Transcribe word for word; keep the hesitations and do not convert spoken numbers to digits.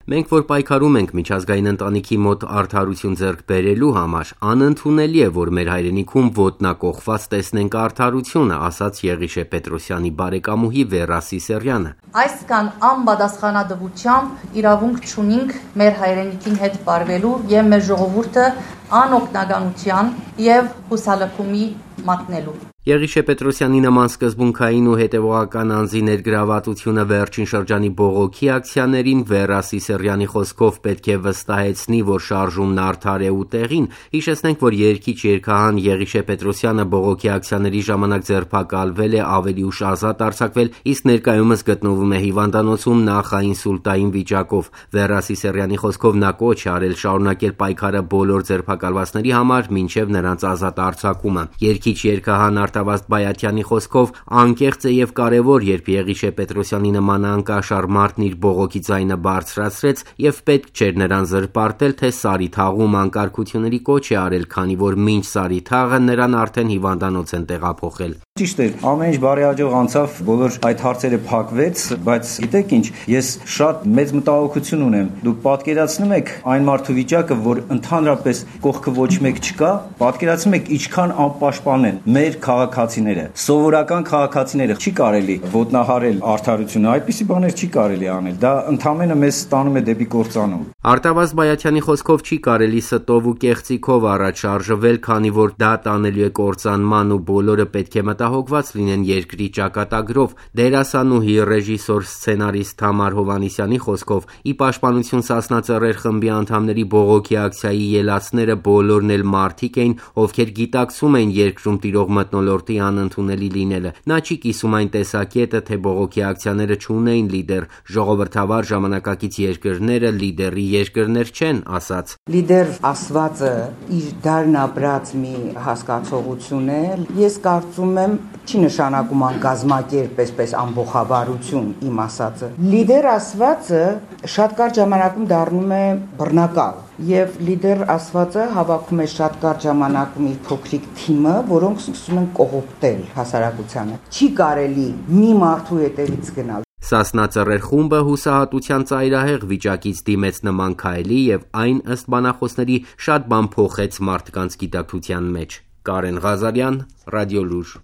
Մենք, որ պայքարում ենք միջազգային ընտանիքի մոտ արդարություն ձեռք բերելու համար, անընդունելի է, որ մեր հայրենիքում ոտնակոխված տեսնենք արդարությունը, ասաց Եղիշե Պետրոսյանի բարեկամուհի Վերա Սիսեռյանը։ Այսքան անպատասխանատվությամբ իրավունք չունենք մեր հայրենիքին հետ պարվելու եւ մեր ժողովուրդը անօգնականության եւ հուսալքումի մատնելու։ Եղիշե Պետրոսյանի նման սկզբունքային ու հետևողական անձի ներգրավվածությունը վերջին շրջանի բողոքի ակցիաներին Վերա Սիսեռյանի խոսքով պետք է վստահեցնի, որ շարժումն արդար է ու տեղին։ Հիշեցնենք, որ երգիչ երգահան Եղիշե Պետրոսյանը բողոքի ակցիաների ժամանակ ձերբակալվել է, ավելի ուշ ազատ արձակվել, իսկ ներկայումս գտնվում է հիվանդանոցում նախաինսուլտային վիճակով։ Վերա Սիսեռյանի խոսքով նա կոչ է արել շարունակել պայքարը բոլոր ձերբակալվածների համար մինչև նրանց ազատ արձակումը։ Երգիչ երգահան Արտավազդ Բայաթյանի խոսքով անկեղծ է եւ կարեւոր, երբ Եղիշե Պետրոսյանի նման անկաշառ մարդն իր բողոքի ձայնը բարձրացրեց եւ պետք չէր նրան զրպարտել, թե Սարիթաղում անկարգությունների կոչ է արել, քանի որ մինչ Սարիթաղը նրան արդեն հիվանդանոց են տեղափոխել։ Ճիշտ է, ամեն ինչ բարեհաջող անցավ, բոլոր այդ հարցերը փակվեց, բայց գիտեք ինչ, ես շատ մեծ մտահոգություն ունեմ։ Դուք պատկերացնում եք այն մարդու վիճակը, որ ընդհանրապես կողքը ոչ մեկ չկա, պատկերացնում եք ինչքան անպաշտպան են մեր քաղաքացիները, սովորական քաղաքացիները։ Չի կարելի ոտնահարել արդարությունը, այդպիսի բաներ չի կարելի անել։ Դա ընդհանրապես մեզ ստանում է դեպի կործանում։ Արտավազդ Բայաթյանի խոսքով չի կարելի ստով ու կեղծիքով առաջ շարժվել, քանի որ դա տանելու է կործանման ու բոլորը պետք է մտահոգված լինեն երկրի ճակատագրով։ Դերասանուհի, ռեժիսոր, սցենարիստ Թամար Հովհաննիսյանի խոսքով ի պաշտպանություն Սասնա Ծռեր խմբի անդամների բողոքի ակցիայի ելածները բոլորն էլ մարդիկ էին, ովքեր գիտակցում էին երկրում տիրող մթնոլորտի անընդունելի լինելը։ Նա չի կիսում այն տեսակետը, թե բողոքի ակցիաները չունեին լիդեր, ժողովրդավար ժամանակակից երկրները լիդերի երկրներ չեն, ասաց։ Լիդեր ասվածը իր դարն ապրած մի հասկացողություն է։ Ես կարծում եմ չի նշանակում անկազմակերպ այսպես ամբողջավարություն իմ ասածը։ Լիդեր ասվածը շատ կարճ ժամանակում դառնում է բռնակալ եւ լիդեր ասվածը հավաքում է շատ կարճ ժամանակում իր փոքրիկ թիմը, որոնք սկսում են կողոպտել հասարակությանը։ Չի կարելի մի մարդու հետևից գնալ։ Սասնա Ծռեր խումբը հուսահատության ծայրահեղ վիճակից դիմեց նման քայլի եւ այն ըստ բանախոսների շատ բան փոխեց մարդկանց գիտակցության մեջ։ Կարեն Ղազարյան, Ռադիոլուր։